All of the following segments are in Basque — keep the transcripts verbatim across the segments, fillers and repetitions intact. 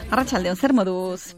Arratsaldeon, zer moduz?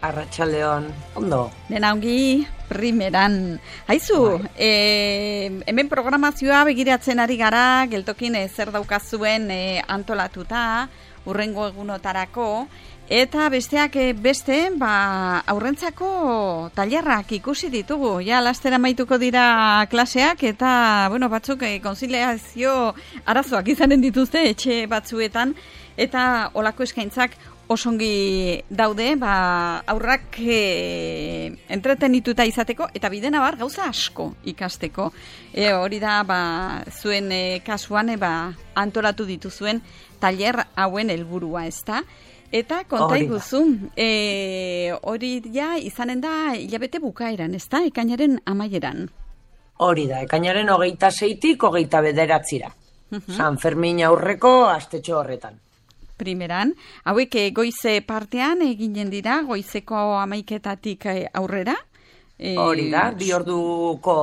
Arratsaldeon, ondo. Dena ongi, primeran. Haizu, e, hemen programazioa begiratzen ari gara, geltokin e, zer daukazuen e, antolatuta, urrengo egunotarako, eta besteak e, beste, ba, aurrentzako tailerrak ikusi ditugu. Ja, laster amaituko dira klaseak, eta, bueno, batzuk e, konziliazio arazoak izanen dituzte etxe batzuetan, eta olako eskaintzak osongi daude, ba, aurrak e, entretenituta izateko, eta bidena bar gauza asko ikasteko. E, hori da, ba, zuen e, kasuan, e, ba, antolatu dituzuen tailer hauen helburua, ezta? Eta konta iguzu, e, hori ja izanen da hilabete bukaeran, ezta? Ekainaren amaieran. Hori da, ekainaren hogeita seitik hogeita bederatzira. Uh-huh. San Fermin aurreko astetxo horretan. Primeran, hauek goize partean eginen dira, goizeko hamaiketatik aurrera. Hori da, bi orduko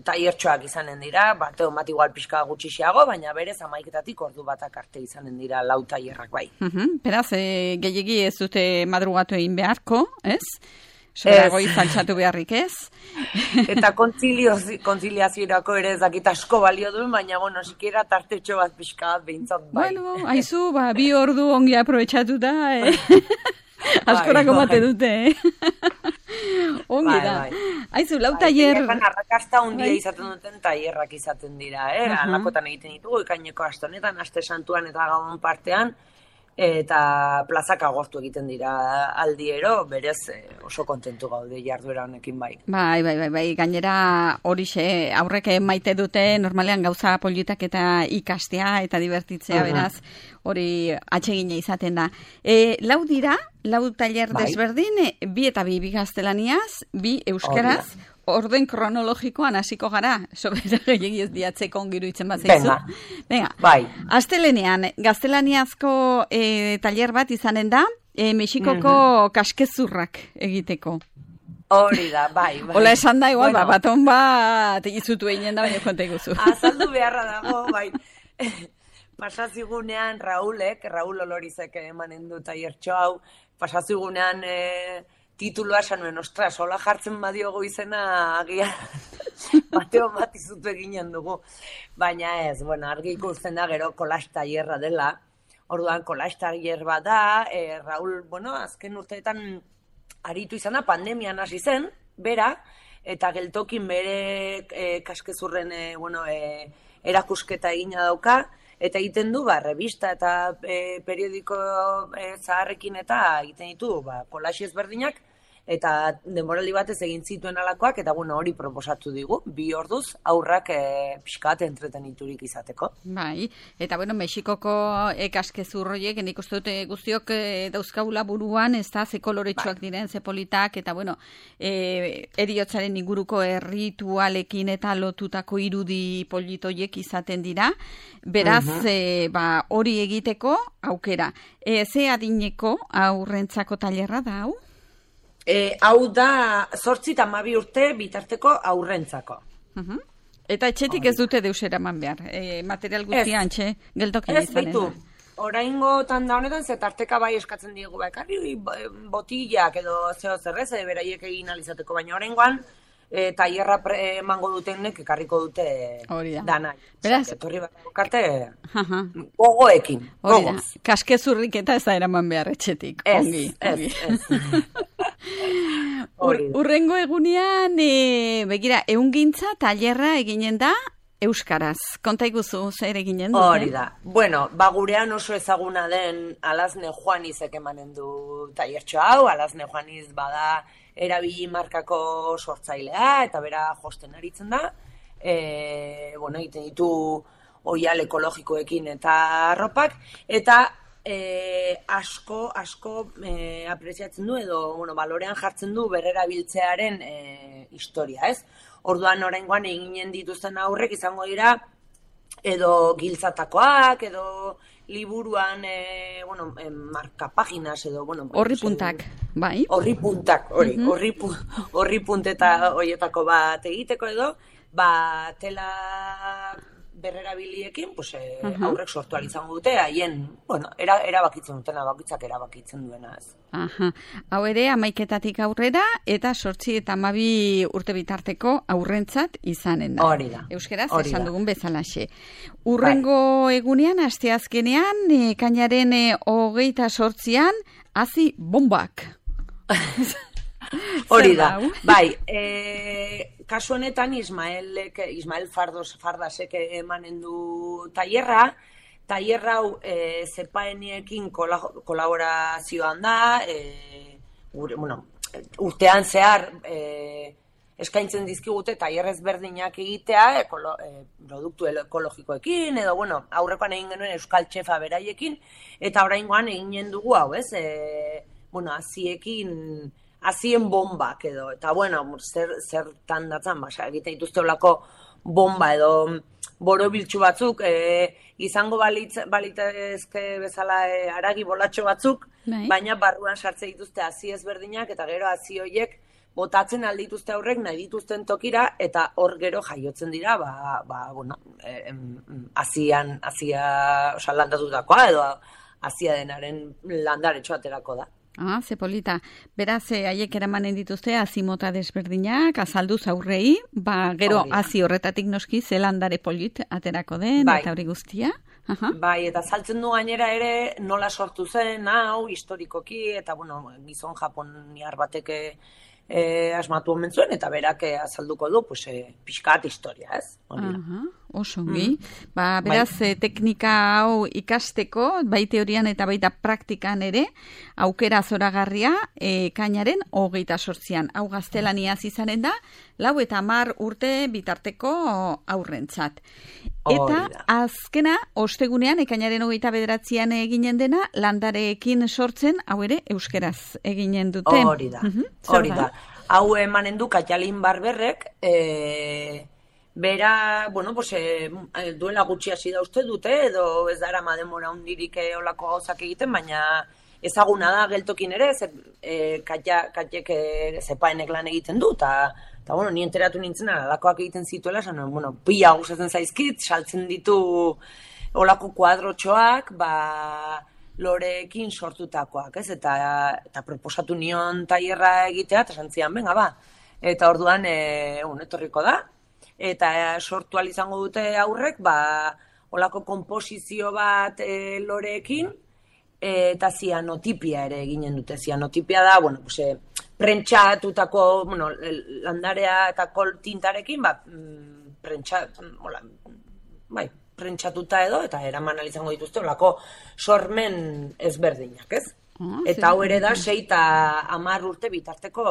tailertxoak izanen dira, bateo bat igual pixka gutxixiago, baina berez hamaiketatik ordu batak arte izanen dira lau tailerrak bai. Uh-huh. Beraz, e, gehiegi ez dute madrugatu egin beharko, ez? Sobera goiz altxatu beharrik ez. Eta kontziliazioerako ere ez dakit asko balio duen, baina, bueno, sikiera tartetxo bat pixka bat behintzat bai. Bueno, haizu, ba, bi ordu ongi aprobetxatu da, eh? Askorako bai, mate dute, eh? Ongi da. Bai, bai. Haizu, lau tailer... Bai, arrakasta hundia bai. Izaten duten tailerrak izaten dira, eh? Uh-huh. Alakotan egiten ditugu, ikaineko astonetan, aste santuan eta gabon partean, eta plazak agortu egiten dira aldiero, berez oso kontentu gaude jarduera honekin bai. Bai, bai, bai, bai, gainera horixe, aurrek maite dute normalean gauza politak eta ikastea eta divertitzea, uh-huh. Beraz, hori atsegina izaten da. E, lau dira, lau tailer bai. Desberdin, bi eta bi, bi gaztelaniaz, bi euskaraz, orden kronologikoan hasiko gara, sobera gehiagi ez diatzeko ongiru itzen bat zeizu. Venga, Venga. Bai. Astelenean, gaztelaniazko e, tailer bat izanen da, e, Mexikoko mm-hmm. kaskezurrak egiteko. Hori da, bai, bai. Ola esan da, igual, bueno. ba, baton bat egizutu egin da, baina konta iguzu. Azaldu beharra dago, bai. Pasazigunean Raulek, Raul Olorizek emanen du tailertxo hau, pasazigunean... E, titulua esan nuen, ostras, hola jartzen badiogo izena agia bateo bat izutu eginen dugu. Baina ez, bueno, argi ikusten da gero kolaz tailerra dela. Orduan kolaz tailer bat da, e, Raul, bueno, azken urteetan aritu izana pandemian hasi zen, bera, eta geltokin bere e, kaskezurren e, bueno, e, erakusketa egina dauka, eta egiten du, ba, revista eta e, periodiko e, zaharrekin eta egiten ditu, ba, kolaxi ezberdinak, eta denboraldi batez egin zituen alakoak, eta bueno, hori proposatu digu, bi orduz aurrak e, pixka bat entreteniturik izateko. Bai, eta bueno, Mexikoko kaskezur horiek, nik uste dute guztiok e, dauzkaula buruan, ez da, ze koloretsuak bai. Diren, ze politak, eta bueno, e, eriotzaren inguruko erritualekin eta lotutako irudi politoiek izaten dira, beraz, uh-huh. e, ba, hori egiteko aukera. E, ze adineko aurrentzako tailerra da, hau? E, hau da, zortzi eta hamabi urte bitarteko aurrentzako. Uh-huh. Eta etxetik oh. Ez dute deusera man behar, e, material guztian txe, geltokia izanen da. Oraingo tanda honetan, zetarteka bai eskatzen diegu, bakarri botillak edo zeo zerrez, beraiek egin alizateko, baina oraingoan, e, tailerra emango dutenek ekarriko dute dana. Beraz, etorri bat bukarte gogoekin. Hori da, kaskezurrik eta ez da eraman behar etxetik. Ez, ongi, ez, ongi. ez. Ur, urrengo egunean, e, begira, ehungintza tailerra eginen da euskaraz. Konta iguzu, zer eginen dute? Hori da. Bueno, ba gurean oso ezaguna den Alazne Juanizek emanen du tailertxo hau, Alazne Juaniz bada erabili markako sortzailea, eta bera josten aritzen da. E, bueno, egiten ditu oial ekologikoekin eta arropak, eta e, asko, asko e, apreziatzen du, edo bueno, balorean jartzen du berrerabiltzearen e, historia, ez? Orduan oraingoan eginen dituzten aurrek izango dira, edo giltzatakoak, edo liburuan, e, bueno, e, marka paginas edo, bueno... Horri puntak, bai? Horri puntak, hori, uh-huh. horri, horri punteta horietako bat egiteko edo, ba, tela berrerabiliekin, pues, e, uh-huh. aurrek sortu izango dute, haien, bueno, era, erabakitzen dutena, bakitzak erabakitzen duena ez. Aha. Hau ere, amaiketatik aurrera, eta sortzi eta amabi urte bitarteko aurrentzat izanen da. Hori da. Euskeraz, esan dugun bezalaxe. Urrengo bai. Egunean, asteazkenean, ekainaren hogeita sortzian, hazi bombak. Hori da, bai, e, kasu honetan Ismaelek, Ismael Fardos, Fardasek emanen du tailerra, tailerra hau e, zepaeniekin kolaborazioan da, e, gure, bueno, urtean zehar e, eskaintzen dizkigute tailer ezberdinak egitea, ekolo, e, produktu ekologikoekin, edo, bueno, aurrekoan egin genuen euskal txefa beraiekin, eta oraingoan eginen dugu hau, ez, e, bueno, aziekin, azien bombak edo, eta bueno, zer, zertan datzan, basa, egiten dituzte olako bomba edo borobiltzu batzuk, e, izango balitz, balitezke bezala e, aragi bolatxo batzuk, Bai. Baina barruan sartze dituzte hazi ezberdinak, eta gero hazi horiek botatzen aldituzte aurrek nahi dituzten tokira, eta hor gero jaiotzen dira, ba, ba bueno, e, hazian, hazia, oza, landatutakoa, edo hazia denaren landaretxo aterako da. Ah, ze polita. Beraz, haiek eramanen dituzte azimota desberdinak, azalduz aurrei, ba, gero hazi horretatik noski zelandare polit aterako den, bai. Eta hori guztia. Aha. Bai, eta saltzen du gainera ere nola sortu zen, hau, historikoki, eta, bueno, gizon japoniar bateke e, asmatu omen zuen, eta berak azalduko du, pues, e, pixkat historia, ez? Aha. Oso ongi. Mm. Ba, beraz, bai. Teknika hau ikasteko, bai teorian eta baita praktikan ere, aukera zoragarria, e, kainaren hogeita sortzian. Hau gaztelaniaz izanen da, lau eta hamar urte bitarteko aurrentzat. Eta azkena, ostegunean, ekainaren hogeita bederatzian eginen dena, landareekin sortzen, hau ere, euskeraz eginen dute. Hori da, uh-huh. Hori da. Hau emanen du Katalin Barberrek, e... Bera, bueno, pues, e, duela gutxi hasi da uste dute, edo ez dara mademora hundirik olako gauzak egiten, baina ezaguna da geltokin ere, ze, e, katiek e, zepaenek lan egiten du, eta, bueno, ni enteratu nintzen alakoak egiten zituela, esan, bueno, pila gustatzen zaizkit, saltzen ditu olako kuadrotxoak, ba, loreekin sortutakoak, ez? Eta, eta proposatu nion tailerra egitea, eta santzian, benga, ba, eta orduan, e, un, etorriko da, eta sortu izango dute aurrek, ba, olako konposizio bat e, loreekin, e, eta zianotipia ere eginen dute. Zianotipia da, bueno, pues, e, prentxatutako, bueno, landarea eta kol tintarekin, ba, prentxa, hola, bai, prentxatuta edo, eta eraman izango dituzte, olako sormen ezberdinak, ez? Oh, eta hau ere da, sei eta hamar urte bitarteko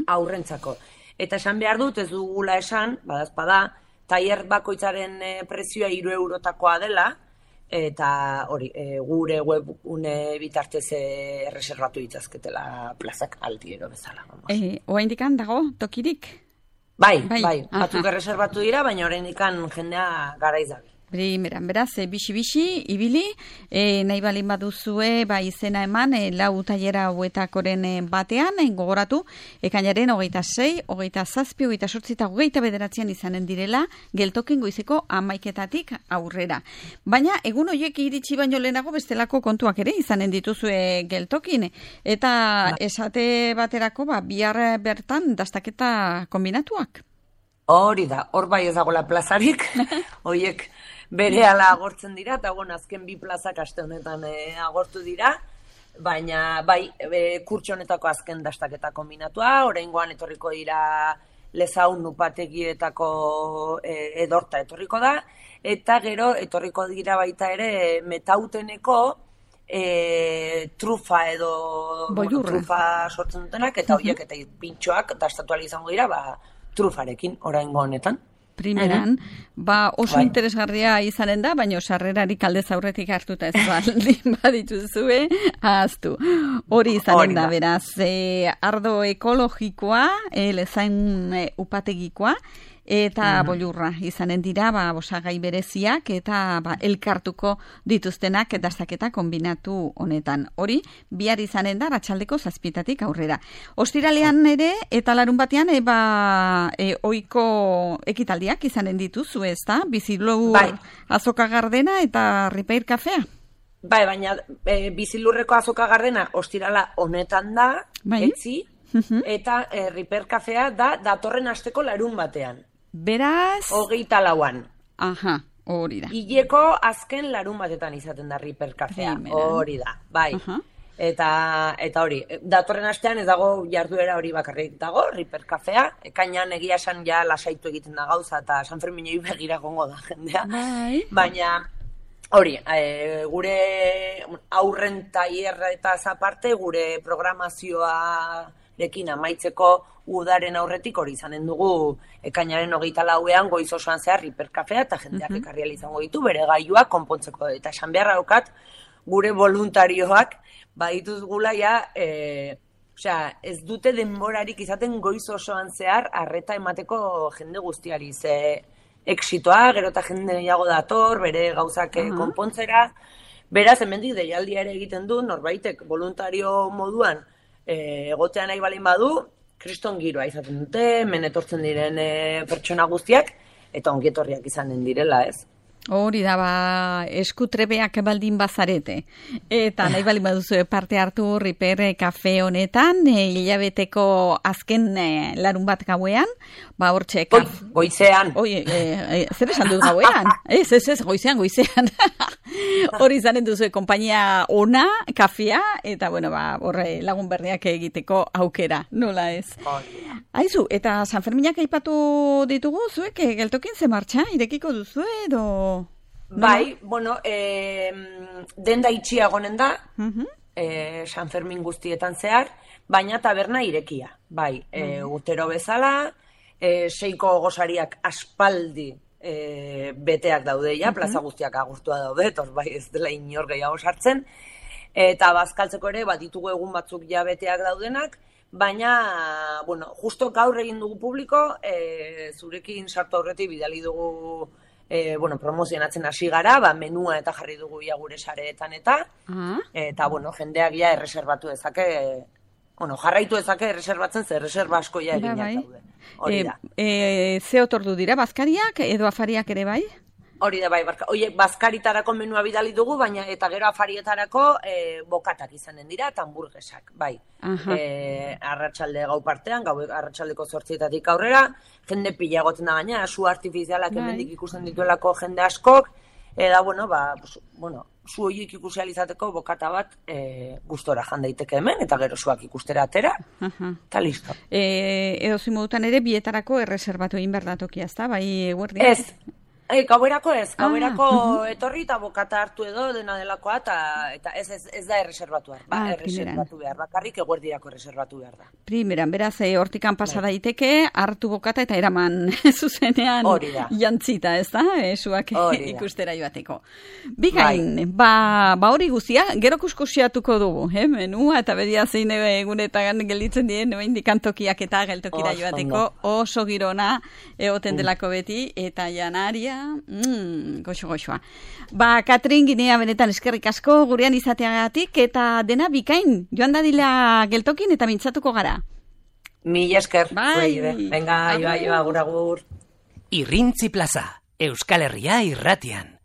aurrentzako. Eta esan behar dut, ez dugula esan, badazpada, tailer bakoitzaren e, prezioa hiru eurotakoa dela, eta hori, e, gure webgune bitartez erreserbatu ditzazketela plazak altiero bezala. E, Oaindikan dago tokirik? Bai, bai, bai. Batzuk erreserbatu dira, baina oraindikan jendea garaiz dabil. Primeran, beraz, e, bixi-bixi, ibili, e, nahi balin baduzue, ba, izena eman, e, lau tailera hauetakoren batean, e, gogoratu, ekainaren hogeita sei, hogeita zazpi, hogeita sortzi eta hogeita bederatzean izanen direla, geltokin goizeko amaiketatik aurrera. Baina, egun horiek iritsi baino lehenago bestelako kontuak ere izanen dituzue geltokin, eta esate baterako, ba, bihar bertan dastaketa kombinatuak. Hori da, hor bai ez dagoela plazarik, horiek bere ala agortzen dira, eta bueno, azken bi plazak aste honetan e, agortu dira, baina bai e, kurtso honetako azken dastaketa kombinatua, oraingoan etorriko dira Lezaun upategietako e, edorta etorriko da, eta gero etorriko dira baita ere Metauteneko e, trufa edo bueno, trufa sortzen dutenak, eta horiek eta pintxoak dastatu ahal izango dira, ba, trufarekin, oraingo honetan. Primeran, ba oso bai. Interesgarria izanen da, baina sarrerarik aldez aurretik hartuta ez baldin badituzue, ahaztu. Hori izanen da, beraz, e, ardo ekologikoa, e, Lezain e, upategikoa, eta bolurra izanen dira, ba, osagai bereziak eta ba, elkartuko dituztenak dastaketa kombinatu honetan. Hori, bihar izanen da, arratsaldeko zazpitatik aurrera. Ostiralean ere, eta larun batean, e, ba, e, oiko ekitaldiak izanen dituzu, ez da? Bizilur bai. Azoka Gardena eta Ripeir Kafea. Bai, baina e, Bizilurreko Azoka Gardena ostirala honetan da, bai. Etzi, uh-huh. eta e, Ripeir Kafea da datorren asteko larun batean. Beraz... Hogeita lauan. Aha, hori da. Hileko azken larun batetan izaten da Ripeir Kafea, hori da, bai. Uh-huh. Eta, eta hori, datorren astean ez dago jarduera hori bakarrik dago, Ripeir Kafea, ekainan egia esan ja lasaitu egiten da gauza, eta San Ferminei begira gongo da jendea. Bai. Baina... Hori, e, gure aurren taierra eta aparte gure programazioarekin amaitzeko udaren aurretik hori izanen dugu ekainaren hogeita lauean goiz osoan zehar Ripeir Kafea eta jendeak uh-huh. ekarri ahal izango ditu bere gailuak konpontzeko. Eta esan beharra daukat gure voluntarioak badituzgula ja, e, osea, ez dute denborarik izaten goiz osoan zehar arreta emateko jende guztiari ze... Exitoa, gero eta jende gehiago dator, bere gauzak uh-huh. konpontzera. Beraz, hemendik deialdia ere egiten du, norbaitek voluntario moduan e, egotea nahi balin badu, kriston giroa izaten dute, hemen etortzen diren e, pertsona guztiak, eta ongietorriak izanen direla, ez? Hori da, ba, eskutrebeak baldin bazarete. Eta nahi baldin baduzu parte hartu Ripeir Kafe honetan, e, hilabeteko azken e, larun bat gauean, ba, hortxe... Kaf... Goizean. Oi, e, e, zer esan dut gauean? Ez, ez, ez, goizean, goizean. Hori izanen duzu, kompainia ona, kafea, eta, bueno, ba, horre lagun berriak egiteko aukera, nola ez? Aizu, eta San Ferminak aipatu ditugu, zuek, geltokin ze martxa, irekiko duzu edo... Bai, no? Bueno, eh, denda itxia gonen da, uh-huh. eh, San Fermin guztietan zehar, baina taberna irekia. Bai, eh, uh-huh. urtero bezala, eh, seiko gosariak aspaldi eh, beteak daude ja, uh-huh. plaza guztiak agurtua daude, tor bai ez dela inor gehiago sartzen, eta bazkaltzeko ere, bat ditugu egun batzuk ja beteak daudenak, baina, bueno, justo gaur egin dugu publiko, eh, zurekin sartu aurretik bidali dugu E, bueno, promozionatzen hasi gara, ba, menua eta jarri dugu ia gure sareetan eta, uh-huh. eta, bueno, jendeak ja erreserbatu dezake, bueno, jarraitu dezake erreserbatzen, ze erreserba asko ja eginak bai. Daude. Hori da. E, e, ze otordu dira, bazkariak edo afariak ere bai? Hori da bai, oie, bazkaritarako menua bidali dugu, baina eta gero afarietarako e, bokatak izanen dira, eta hamburguesak, bai. Uh-huh. E, arratsalde gau partean, gau arratsaldeko zortzietatik aurrera, jende pila egoten da gaina, su artifizialak bai. Hemendik ikusten dituelako jende askok, eta, bueno, ba, bueno, zu horiek ikusi izateko bokata bat e, gustora jan daiteke hemen, eta gero zuak ikustera atera, eta uh-huh. listo. E, edo zimodutan ere, bietarako erreserbatu egin behar da tokia, ezta, bai, guardia? Ez. E, gauerako ez, gauerako ah, uh-huh. etorri eta bokata hartu edo dena delakoa, eta, eta ez, ez, ez da erreserbatu behar, ba, ah, erreserbatu behar, bakarrik eguerdirako erreserbatu behar da. Primeran, beraz, e, hortikan pasa daiteke, hartu bokata eta eraman zuzenean jantzita, ez da, esuak ikustera joateko. Bikain, bai. ba, ba hori guztia, gero kuskusiatuko dugu, eh, menua, eta bedia zein egunetan gelditzen dien, indikantokiak eta geltokira oh, joateko, oso girona, egoten mm. delako beti, eta janaria, Mm, goxo, goxoa. Ba, Katrin, Ginea benetan eskerrik asko gurean izateagatik eta dena bikain. Joan dadila geltokin eta mintzatuko gara. Mila esker. Bai. Venga, iba, iba, agur, agur. Irrintzi plaza, Euskal Herria irratian.